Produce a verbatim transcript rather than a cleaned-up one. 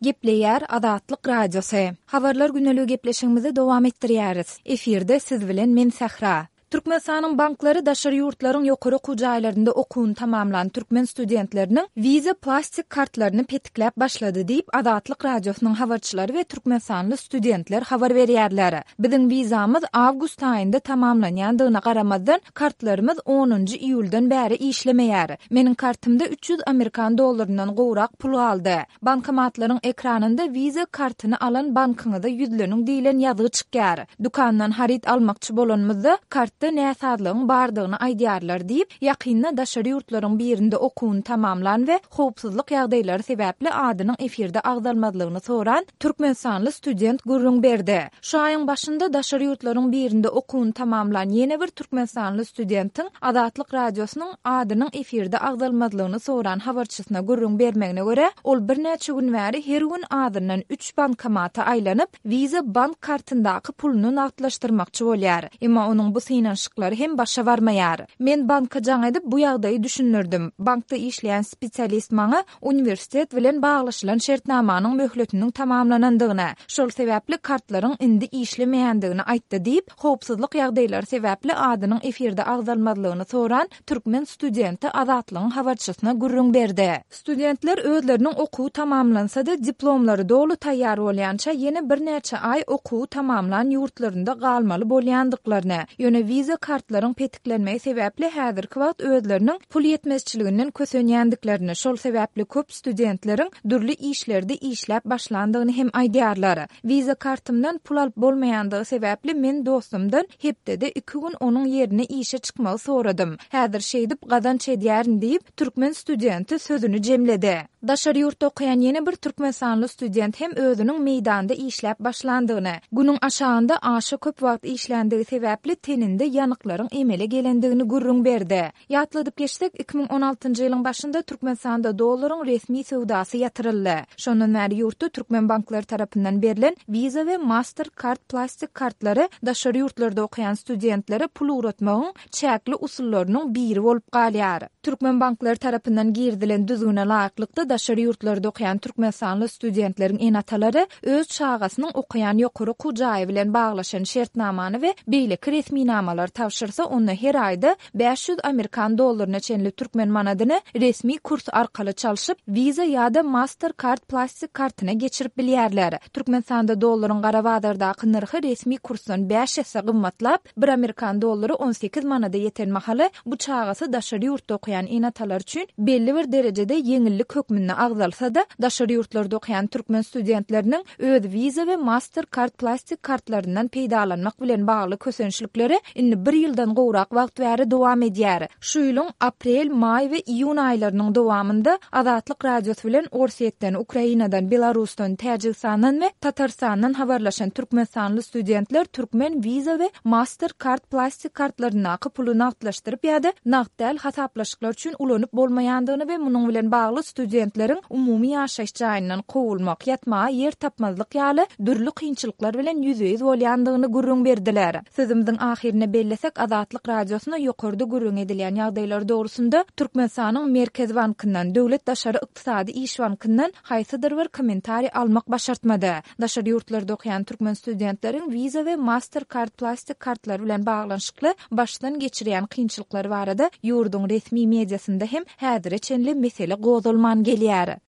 Gepleýär Azatlyk Radiosy. Habarlar güneligi gepleşigimizi dowam etdirýäris. Efirde siz bilen men Sähra. Türkmenistanyň banklary daşary ýurtlaryň ýokary okuw jaýlarynda okuwyny tamamlan türkmen studentleriniň Visa plastik kartlaryny petikläp başlady diýip, Azatlyk Radiosynyň habarçylary we türkmenistanly studentler habar berýärler. Biziň wizamyz awgust aýynda tamamlanýandygyna garamazdan, kartlarymyz onunjy iýuldan bäri işlemeýär. Meniň kartymda üç ýüz amerikan dollaryndan gowrak pul galdy. Bankomatlaryň ekranynda Visa kartyny alan bankyňyza ýüzleniň diýlen ýazgy çykýar. Dükandan haryt almakçy bolanymyzda, kartda näsazlygyň bardygyny aýdýarlar diýip, ýakynda daşary ýurtlaryň birinde okuwyny tamamlan we howpsuzlyk ýagdaýlary sebäpli adynyň efirde agzalmazlygyny soran türkmenistanly student gürrüň berdi. Şu aýyň başynda daşary ýurtlaryň birinde okuwyny tamamlan ýene bir türkmenistanly studentiň Azatlyk Radiosynyň adynyň efirde agzalmazlygyny soran habarçysyna gürrüň bermegine görä, ol birnäçe gün bäri her gün azyndan üç bankomata aýlanyp, Visa bank kartyndaky puluny nagtlaşdyrmakçy bolýar. Emma onuň bu synanyşyklary hem başa barmaýar. Men banka jaň edip, bu ýagdaýy düşündirdim. Bankda işleýän spesialist maňa uniwersitet bilen baglaşylan şertnamanyň möhletiniň tamamlanandygyny, şol sebäpli kartlaryň indi işlemeýändigini aýtdy diýip, howpsuzlyk ýagdaýlary sebäpli adynyň efirde agzalmazlygyny soran türkmen studenti Azatlygyň habarçysyna gürrüň berdi. Studentler özleriniň okuwy tamamlansa-da, diplomlary doly taýýar bolýança ýene birnäçe aý okuwy tamamlan ýurtlarynda galmaly bolýandyklaryny, ýöne Visa kartlaryň petiklenmegi sebäpli häzirki wagt özleriniň pul ýetmezçiliginden kösenýändiklerini, şol sebäpli köp studentleriň dürli işlerde işläp başlandygyny hem aýdýarlar. Visa kartymdan pul alyp bolmaýandygy sebäpli men dostumdan hepdede iki gün onuň ýerine işe çykmagy soradym. Häzir şeýdip gazanç edýärin diýip, türkmen studenti sözüni jemledi. Daşary ýurtda okaýan ýene bir türkmenistanly student hem özüniň meýdanda işläp başlandygyny, günüň aşagynda aşa köp wagt işländigi sebäpli teninde ýanyklaryň emele gelendigini gürrüň berdi. Ýatladyp geçsek, iki müň on altynjy ýylyň başynda Türkmenistanda dollaryň resmi söwdasy ýatyryldy. Şondan bäri ýurtda türkmen banklary tarapyndan berlen Visa we Mastercard plastik kartlary daşary ýurtlarda okaýan studentlere pul ugratmagyň çäkli usullarynyň biri bolup galýar. Türkmen banklary tarapyndan girizilen düzgüne laýyklykda daşary ýurtlarda okaýan türkmenistanly studentleriň ene-atalary öz çagasynyň okaýan ýokary okuw jaýy bilen baglaşan şertnamany we beýleki resminamalary tabşyrsa, onda her aýda bäş ýüz amerikan dollaryna çenli türkmen manadyny resmi kurs arkaly çalşyp, Visa ýa-da Mastercard plastik kartyna geçirip bilýärler. Türkmenistanda dollaryň gara bazardaky nyrhy resmi kursdan bäş esse gymmatlap, bir amerikan dollary on sekiz manada ýeten mahaly bu çagasy daşary ýurtda okaýan ene-atalar üçin belli bir derejede ýeňillik hökmünde agzalsa-da, daşary ýurtlarda okaýan türkmen studentleriniň öz Visa we Mastercard plastik kartlaryndan peýdalanmak bilen bagly kösençlikleri indi bir ýyldan gowrak wagt bäri dowam edýär. Şu ýylyň aprel, maý we iýun aýlarynyň dowamynda Azatlyk Radiosy bilen Orsýetden, Ukrainadan, Belarusdan, Täjigistandan we Tatarstandan habarlaşan türkmenistanly studentler türkmen Visa we Mastercard plastik kartlaryndaky puly nagtlaşdyryp ýa-da nagt däl hasaplaşyklar üçin ulanyp bolmaýandygyny we munuň bilen bagly studentleriň umumy ýaşaýyş jaýyndan kowulmak, ýatmaga ýer tapmazlyk ýaly dürli kynçylyklar bilen ýüzbe-ýüz bolýandygyny gürrüň berdiler. Sözümiziň ahyryna bellesek, Azatlyk Radiosyna ýokarda gürrüň edilýän ýagdaýlar dogrusynda Türkmenistanyň Merkez Bankyndan, Döwlet daşary ykdysady iş bankyndan haýsydyr bir kommentariý almak başartmady. Daşary ýurtlarda okaýan türkmen studentleriň Visa we Mastercard plastik kartlary bilen baglanyşykly başdan geçirýän kynçylyklary barada ýurduň resmi mediasynda hem häzire çenli mesele gozgalman gelýär.